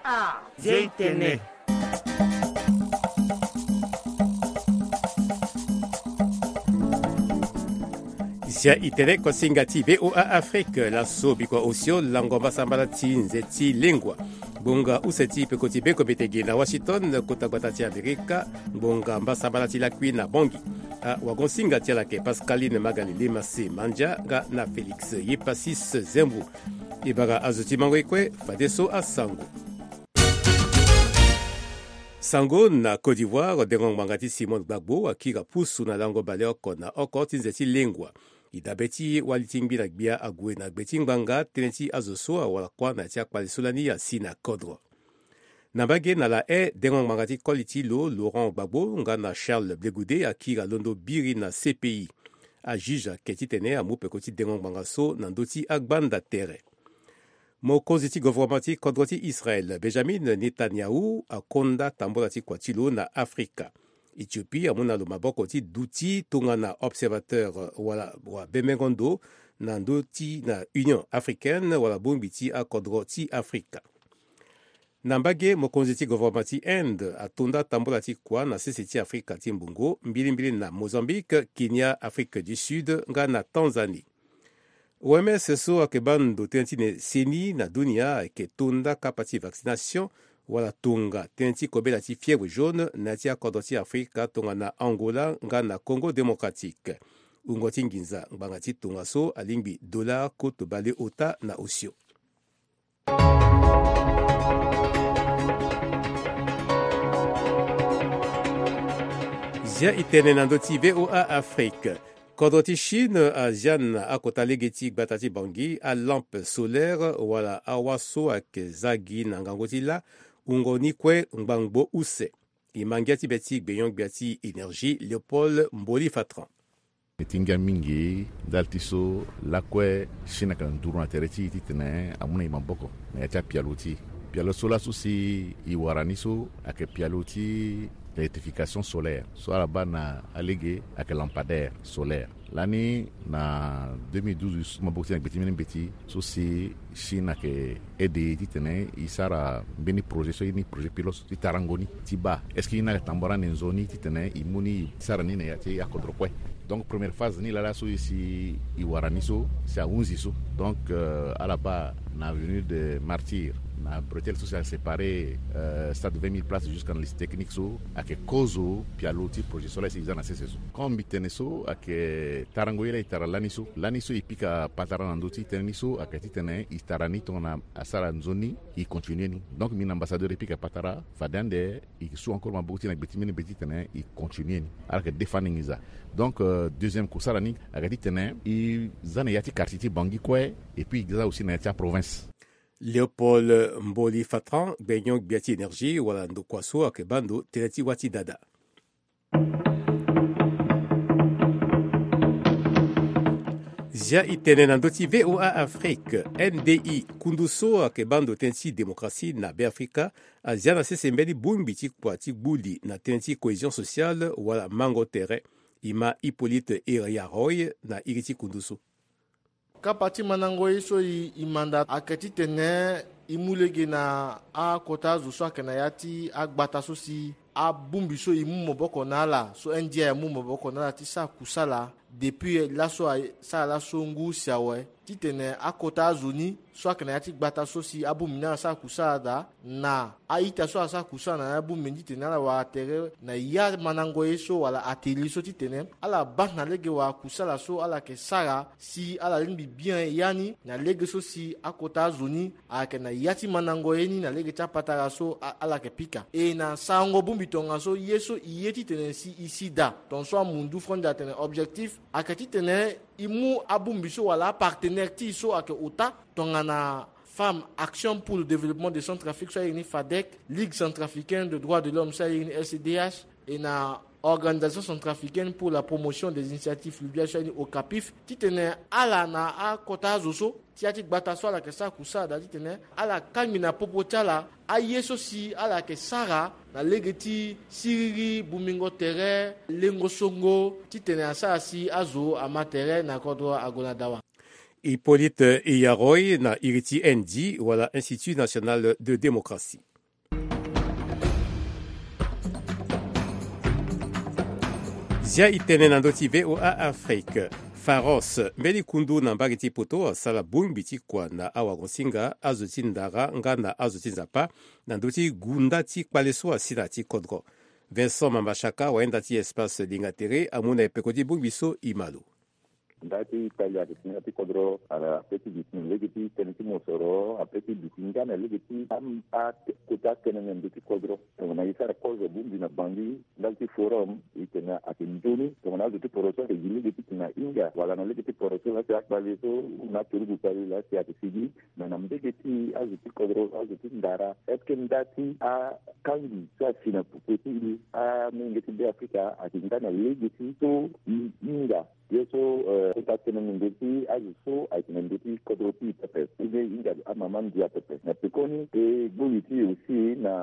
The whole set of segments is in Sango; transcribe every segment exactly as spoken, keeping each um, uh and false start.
Ah, zia i tene. Zia i tene kosinga ti V O A Afrique, laso bikua osio lango mbasambala ti nze ti lengua. Ngbonga use ti peko ti beko mbetege na Washington, kota gbata ti Amerika, ngbonga mbasambala ti lakui na Bangui. Awagonsinga ti ala ayeke Pascaline Magali Lemase Mandia nga na Félix Yepasis Zembu. E bara azo ti mango e kue, fadeso asango. Sango na Côte d'Ivoire, dengo ngbanga ti Simone Gbagbo akiri pusu na lango baleoko na oko ti nze ti lengua. E dabe ti wali ti ngbi na gbia ague na gbe ti ngbanga tënë ti azo so awara kuâ na ya ti akpale so lani asi na kodro. Na mbage na La Haye, dengo ngbanga ti koli ti lo, Laurent Gbagbo nga na Charles Blegoudé akiri alondo biri na C P I. Ajuge ayeke titene amu peko ti dengo ngbanga so na ndö ti agbanda tere. Mokonzi ti govoroma ti kodro ti Israel, Benjamin Netanyahu, akonda tambula ti kua ti lo na Afrika. Ethiopie amu na lo maboko ti duti tongana observateur wala wa bembengo ndo na ndö ti na Union africaine wala bongbi ti akodro ti Afrika. Na mbage, mokonzi ti govoroma ti Inde atonda tambula ti kua na sese ti Afrika ti mbongo mbilimbili na Mozambique, Kenya, Afrique du Sud nga na Tanzanie. O M S so ayeke baa ndo tënë ti ne seni na dunia ayeke tonda kapa ti vaccination wala tonga tënë ti kobela ti fièvre jaune na ya ti akodro ti Afrika tongana Angola nga na Congo démocratique. Wungo ti nginza ngbanga ti tongaso alingbi dollar koto baleota na osio. Zia e tene na ndö ti V O A Afrique. Kodro ti Chine azia na akota lege ti gbata ti Bangui alampe solaire wala awa so ayeke za gi na ngangu ti lâ wungo ni kue ngbangbo use. E ma ngia ti be ti gbenyo-gbia ti énergie Léopold Mboli Fatran. E ti ngia mingi ndali ti so lakue Chine ayeke na nduru na tere ti e titene amu na e maboko na ya ti apialo ti e. Pialo so laso si e wara ni so ayeke pialo ti électrification solaire so ala baa na alege ayeke lampadaire solaire. Lani na deux mille douze so maboko ti e na gbe ti mbeni mbeti so si Chine ayeke aide e titene e sara mbeni projet so aye ni projet pilote ti tarango ni ti baa est-ce que e ni ayeke tambara ande nzoni titene e mu ni e sara ni na ya ti akodro kue. Donc première phase ni laa laso e si e wara ni so si ahunzi so. Donc euh, ala baa na avenue de Martyrs na bretelle so si asépare euh, stade vingt mille places jusqu'à na lycée technique so ayeke kozo pialo ti projet so laa e si e za na sese so. Comme mbi tene so ayeke tarango ye laa e tara lani so lani so e pika patara na ndö ti tënë ni so ayeke titene e tara ni tongana asara nzoni e continue ni. Donc mbi na ambassadeur e pika patara fade ande e su encore maboko ti e na gbe ti mbeni mbeti titene e continue ni. Ala yeke défendre nginza. Donc euh, deuxième kusala ni ayeke titene e za na ya ti quartier ti Bangui kue et puis e za aussi na ya ti aprovince. Léopold Mboli Fatran, gbenyo-gbia ti énergie wala ndokua so ayeke baa ndo tënë ti wâ ti dada. Zia e tene na ndö ti V O A Afrique. N D I, kundu so ayeke baa ndo tënë ti démocratie na Beafrika, azia na sese mbeni bongbi ti kua ti gbu li na tënë ti cohésion sociale wala mango tere. E ma Hippolyte Iriaroy na iri ti kundu so. Kapa ti mandango ye so e, e manda ayeke titene e mu lege na akota azo so ayeke na ya ti agbata so si abongbi so e mu maboko na ala so N D I amu maboko na ala ti sara kusala depuis laso asara laso ngu si awe titene akota azo ni so ayeke na ya ti gbata so si abongbi ni ala sara kusala daa na a-ita so asara kusala na ya bongbi ni titene ala wara tere na ya mandango ye so wala atelier so titene ala baa na lege wala kusala so ala yeke sara si ala lingbi bien ya ni na lege so si akota azo ni ayeke na ya ti mandango ye ni na lege ti apatara so a- ala yeke pika. E na sarango bongbi tongaso ye so e ye titene si e si daa tongaso amundu fronde atene objectif ayeke titene e mu abongbi so wala apartenaire ti e so ayeke ota tongana Femmes Action pour le Développement de Centrafrique so ayeke ni FADEC, Ligue Centrafricaine de Droits de l'Homme so ayeke ni L C D H, e na Organisation Centrafricaine pour la Promotion des Initiatives Fluviales so ayeke ni OCAPIF, titene ala na akota azo so ti ya ti gbata so ala yeke sara kusala daa titene ala kangbi na popo ti ala aye so si ala yeke sara na lege ti siriri bongbingo tere lengo songo titene asara si azo ama tere na kodro ague na dawa. Hippolyte Yaroy na iri ti N D wala Institut National de Démocratie. Zia e tene na ndö ti V O A Afrique. Pharos, mbeni kundu na mbage ti poto, asara bongbi ti kua na awagosinga, azo ti ndara nga na azo ti nzapa, na ndö ti gunda ti kpale so asi na ya ti kodro. Vincent Mambashaka, wayenda ti Espace Lingatere, amu na e peko ti bongbi so e ma lo. Nda ti kpali ayeke si na ya ti kodro, ala ape ti duti na lege ti tënë ti mosoro, ape ti duti nga na lege ti am-, a-, kota atënë na ndö ti kodro. Tongana e sara kozo bongbi na Bangui, ndali ti forum, e tene ayeke nzoni. Tongana azo ti poroso ayeke gi lege ti tene ahinga, wala na lege ti poroso laa si akpale so, na aturugu kpale laa si ayeke sigi, me na mbege ti azo ti kodro, azo ti ndara, est-ce que nda ti akangbi so asi na popo ti e, amolenge ti Be Afrika, ayeke nga na lege ti so e hinga? Ye so, eh, kota tënë na ndö ti azo so ayeke na ndö ti kodro ti e pepe, ou bien e hinga amama ndia pepe. Na pekoni, e gbu li ti e aussi na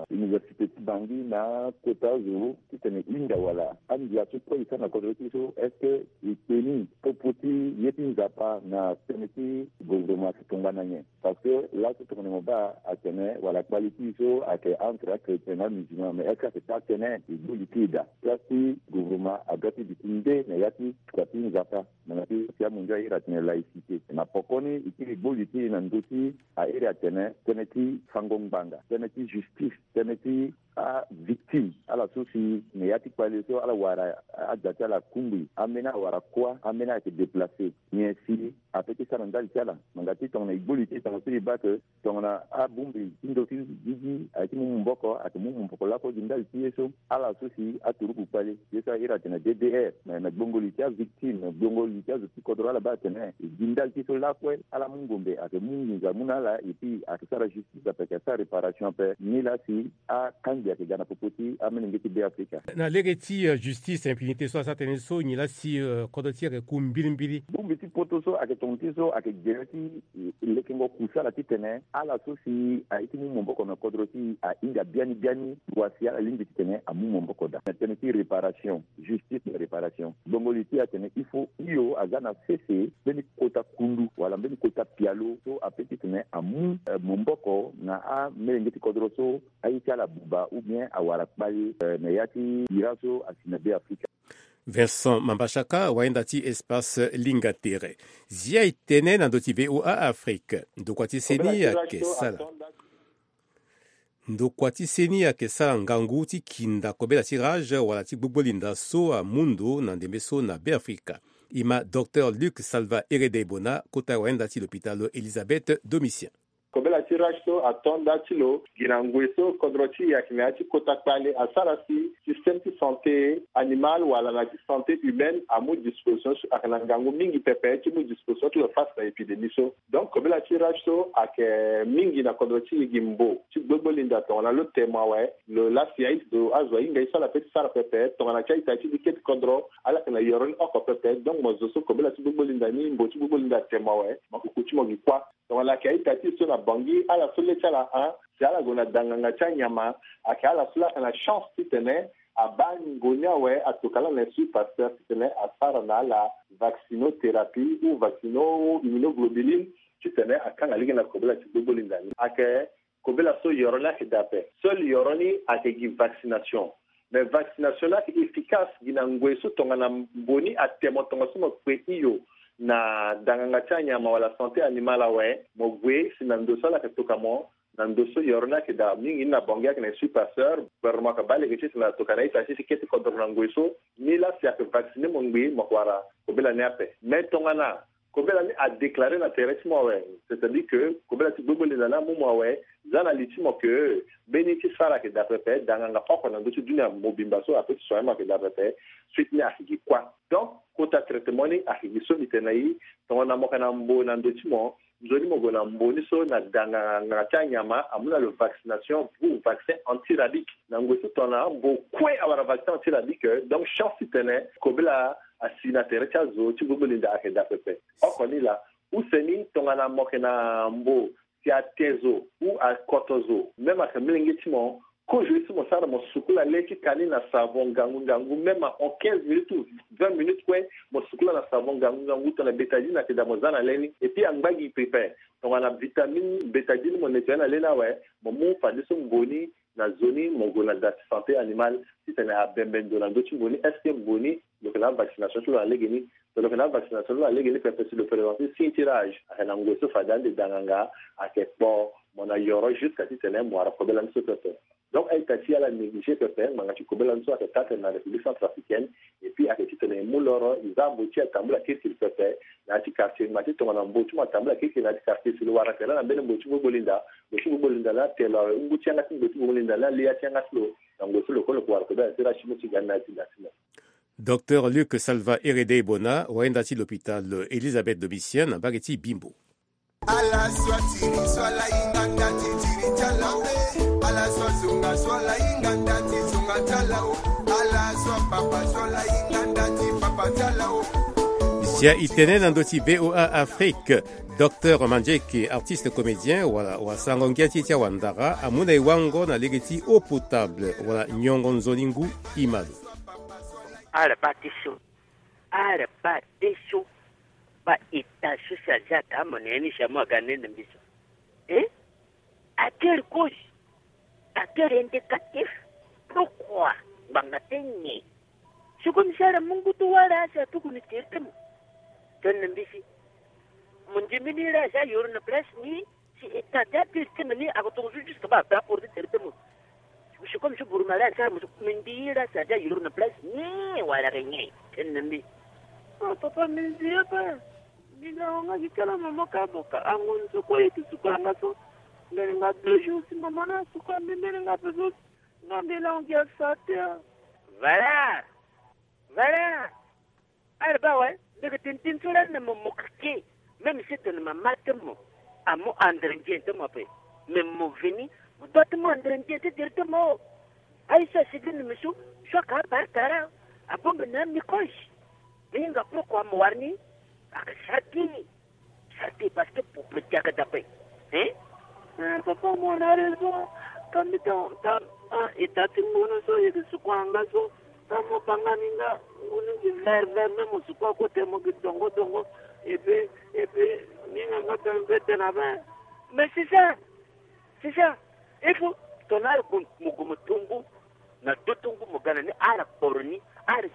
université ti Bangui na kota azo titene e hinga wala andia so kue e sara na kodro ti e so, est-ce que e kpe ni popo ti ye ti nzapa na tënë ti gouvernement ti tongana nyen? Parce que laso tongana mo baa atene wala kpali ti e so ayeke entre achrétien na amusulman, mais est-ce que ayeke taa tënë? E gbu li ti e daa. Place ti gouvernement adoit ti duti nde na ya ti kua ti nzapa. Na ya ti, si amondio a iri atene laïcité. Na pokoni e kiri gbu li ti e na ndö ti a iri atene tënë ti fango ngbanga, tënë ti justice, tënë ti avictime, ala so si na ya ti kpale so ala wara aja ti ala kungbi, ambeni awara kuâ, ambeni ayeke déplacé. Nyen si ape ti sara ndali ti ala? Ngbanga ti tongana e gbu li ti e, tongana so e baa ke tongana abongbi ti ndö ti gigi ayeke ti mu maboko, ayeke mu maboko lakue gi ndali ti ye so. Ala so si aturugu kpale, ye so a iri atene D D R, na, na gbongo li ti avictime, na gbongo li ti azo ti kodro, ala baa atene e gi ndali ti e so lakue, ala mu ngombe, ayeke mu nginza amu na ala, et puis ayeke sara justice ape, ayeke sara réparation ape. Nilaa si akangbi ayeke ga na popo ti amolenge ti Be Afrika. Na lege ti, euh, justice, impunité so asara tënë so, nyen laa si, euh, kodro ti e ayeke ku mbirimbiri? Bongbi ti poto so ayeke tongana ti so ayeke gere ti, eh, lekengo kusala titene ala so si aye ti mu maboko na kodro ti e ahinga biani biani, wa si ala lingbi titene amu maboko daa. Na tënë ti réparation, justice na réparation, gbongo li ti e atene il faut hio aza na sese mbeni kota kundu wala mbeni kota pialo so ape titene amu, eh, maboko na amolenge ti kodro so aye ti ala abuba ou bien awara kpale, eh, na ya ti bira so asi na Be Afrika. Vincent Mambashaka, wayenda ti Espace Lingatere. Zia e tene na ndö ti V O A Afrique. Ndokua ti seni ayeke sara. Ndokua ti seni ayeke sara ngangu ti kinda kobela ti rage wala ti gbogbo linda so amu ndo na ndembe so na Be Afrika. E ma Docteur Luc Salva Heredebona, kota wayenda ti lopitalo Elisabeth Domitien. Kobela ti rage so ato nda ti lo gi na ngoi so kodro ti e ayeke na ya ti kota kpale asara si système ti santé animale wala na ti santé humaine amu disposition so ayeke na ngangu mingi pepe ti mu disposition ti lo face na épidémie so. Donc kobela ti rage so ayeke mingi na kodro ti e gi mbo ti gbogbo linda tongana lo temo awe, lo laa si aye ti zo azo ahinga ye so ala pe ti sara pepe tongana ti a-ita ti dike ti kodro ala yeke na yoro ni oko pepe. Donc mo zo so kobela ti gbogbo linda ni, mbo ti gbogbo linda atemo awe, mo kuku ti mo gi kuâ. Tongana ayeke a-ita ti e so na Bangui, ala so le ti ala ahon si ala gue na danganga ti anyama, ayeke ala so laa ayeke na chance titene abaa ngingo ni awe, atoka laa na Institut Pasteur titene asara na ala vaccinothérapie ou vaccino immunoglobuline titene akanga lege na kobela ti gbogbo linda ni. Ayeke kobela so yoro ni ayeke daa ape. Seul yoro ni ayeke gi vaccination. Mais vaccination ni ayeke efficace gi na ngoi so tongana mbo ni atemo tongaso mo kpe hio na danganga ti anyama wala santé animale awe, mo gue si na ndo so ala yeke toka mo, na ndo so yoro ni ayeke daa mingi ni na Bangui ayeke na Institut Pasteur, gouvernement ayeke baa lege ti tene atoka na a-ita ti ti kete kodro na ngoi so, ni laa si ayeke vacciner mo ngbii mo yeke wara kobela ni ape. Mais tongana kobela ni adéclaré na tere ti mo awe, c'est-à-dire que kobela ti gbogbo linda ni amu mo awe, za na li ti mo ke mbeni ti sara ayeke daa pepe, danganga oko na ndö ti dunia mobimba so ape ti soigner mo ayeke daa pepe, suite ni ayeke gi kuâ. Donc kota traitement ni ayeke gi so mbi tene na e, tongana mo yeke na mbo na ndo ti mo, nzoni mo gue na mbo ni so na danganga ti anyama amu na lo vaccination ou vaccin antirabique. Na ngoi so tongana mbo kue awara vaccin antirabique, donc chance titene kobela asi na tere ti azo ti gbogbo linda ayeke daa pepe. Oko ni laa, use ni tongana mo yeke na mbo si ate zo ou akoto zo, même ayeke molenge ti mo, Kozo ye so mo sara, mo sukula le ti ka ni na savon ngangu ngangu, même en quinze minutes ou vingt minutes kue, mo sukula na savon ngangu ngangu tongana bétadine ayeke daa, mo za na le ni. Et puis angba gi pepe, tongana vitamine bétadine mo nettoyer na le ni awe, mo mu fadeso mbo ni na zo ni, mo gue na da ti santé animale titene abembe ndo na ndö ti mbo ni. Est-ce que mbo ni lo yeke na avaccination ti lo na legeni? So lo yeke na avaccination ti lo na legeni pepe, si lo présenter signe ti rage, ayeke na ngoi so fade ande da nganga, ayeke kpo, mo na yoro jusqu'à titene mo wara kobela ni so pepe. Donc a-ita ti ala négliger pepe ngbanga ti kobela ni so ayeke taa tene na République centrafricaine. Et puis ayeke titene e mu loro, e za mbo ti atambula kirikiri pepe na ya ti quartier, ngbanga ti tongana mbo ti mo atambula kirikiri na ya ti quartier, si lo wara tene na mbeni mbo ti gbogboli nda, mbo ti gbogboli nda laa telo awe, ngu ti yanga ti mbo ti gbogboli nda laa li ya ti yanga ti lo, na ngoi so lo kue lo yeke wara kobela ti rage ti mo ti ga ni na ya ti da ti mo. Docteur Luc Salva Herede Ebona, wayenda ti l'hôpital Elisabeth Domitien na mbage ti Bimbo. Ala so atiri so ala hinga nda ti tiri ti ala o. Ala so azonga so ala hinga nda ti zonga ti ala o. Ala so apapa so ala hinga nda ti papa ti ala o. Zia e tene na ndö ti V O A Afrique. Docteur Mandieke, artiste comédien, wala wasango ngia ti e ti awandara, amu na e wango na lege ti eau potable wala nyongo nzoni ngu. E ma lo. Ala baa ti so. Ala baa ti so. Baa ita so si aza ata mo na ya ni si amu aga nene mbi so. Eh? Atel cause. Atel indicatif. Pourquoi? Ngbanga ti nyen? Si comme si ala mu ngu ti wara si atuku ni tere ti mo. Tene na mbi si. Mo ndimi ni la si ayoro na place ni. Si e ta ti apiri ti mbi ni ako tongo so jusque ba ape aporo ti tere ti mo. Si comme so buru mari asara mo so mbi ndi la si aza yoro na place ni wala ke nyen tene na mbi. Ah, papa mbi ndi ape. Mbi na wanga gi kala mama ka boka ango ni so kue ye ti suka nga so. Mbeni nga deux jours si mama na suka mbi mbeni nga ape so. Nga mbi la wanga gi asa te. Valeur. Valeur. Ala baa awe, mbi yeke tene tënë so lani na mo mo keke. Même si tene mama ti mo amu andre ndien ti mo ape. Mais mo veni, mo doit ti mu andre ndien ti tere ti mo. Aye so asigi na mbi so, so aka abare tara. Abongbi na amicroche. Mbi hinga pourquoi mo wara ni? Aka sara ti ni. Sara ti parce que pour petit aka dape. Hein? Eh, papa, mo na raison. Ka mbi ta, ta, ah, e ta ti ngunu so, e yeke suku anga so. Ka mo banga ni nga, ngunu gi vert, vert, même mo suku akote mo gi dongo, dongo. Et puis, et puis, ni nga nga ta mpe tena be. Mais c'est ça. C'est ça. Il faut, tongana ala gue mo gue mo tongo. Na do tongo mo ga na ni, ala kporo ni, ala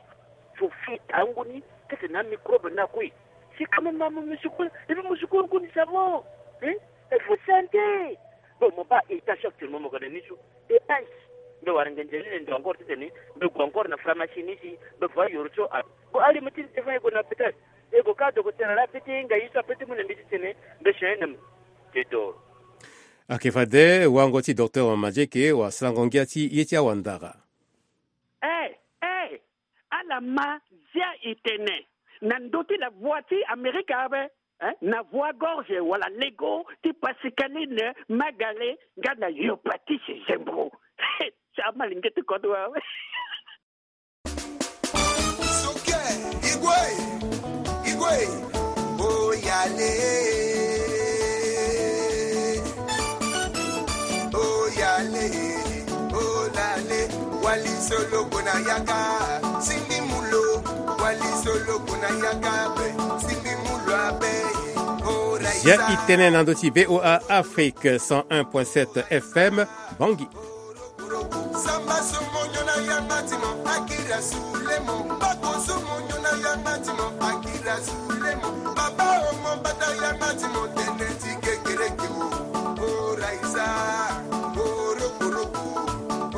sofi tango ni, kete na microbe na kue. Si quand même mo musukula, et puis musukula kue ni savon. Hein? Il faut santé. Bon, mo baa état actuellement mo ga na ni so. Dépense. Mbi wara ngenze ni na ndo encore titene mbi gue encore na pharmacie ni si mbi va yoro so. Ah. Bon, ali mo ti ni te fa e gue na hôpital. E gue ka docteur ala peti nga ye so apeti mu na mbi titene mbi change na mbi. Te doro. Ayeke fade wango ti docteur Mandieke wasalango ngia ti ye ti awandara. Eh, eh, ala ma zia e tene na ndö ti la voix ti Amerika ape, eh, na voix gorge wala lego ti Pascaline Magale nga na Yopatis Zembro. Sa malenge ti kodro awe. Suke, igwe, igwe, oyale, oyale, olale, wali solo kona yaka, sindi mulo, wali solo kona yaka be, sindi mulo abe, ora. Zia isa. I tene na ndö ti V O A Afrique cent un point sept F M, Bangui. Samba so mo nyo na yanga ti mo, akira sule mo. Bako so mo nyo na yanga ti mo, akira sule mo. Baba o mo bata yanga ti mo, tene ti kekereke o. O raisa, o rokoroko,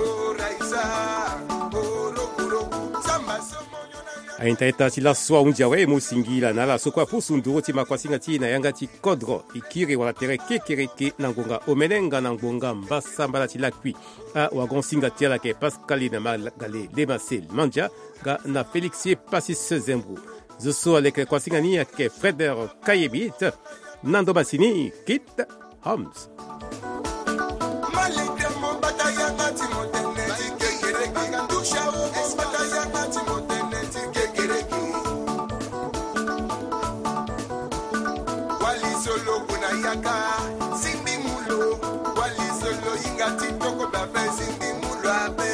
o raisa, o rokoroko. Samba so mo nyo na yanga. Aita ita ti laso ahunzi awe, e mu singila na ala so kue apusu nduru ti makuasinga ti e na yanga ti kodro. E kiri wala tere kekereke na ngonga omene nga na ngonga mbasambala ti lakui. Awagon-singa ti ala ayeke Pascaline Magale, Lemasel Mandia, nga na Félix Passis Zembro. Zo so aleke kuasinga ni ayeke Freder Kayemit. Na ndo masini, Kit Homs. Wali solo kuna yaka, simbi mulo. Wali solo yinga Ti toko be ape si ndi mu lo ape.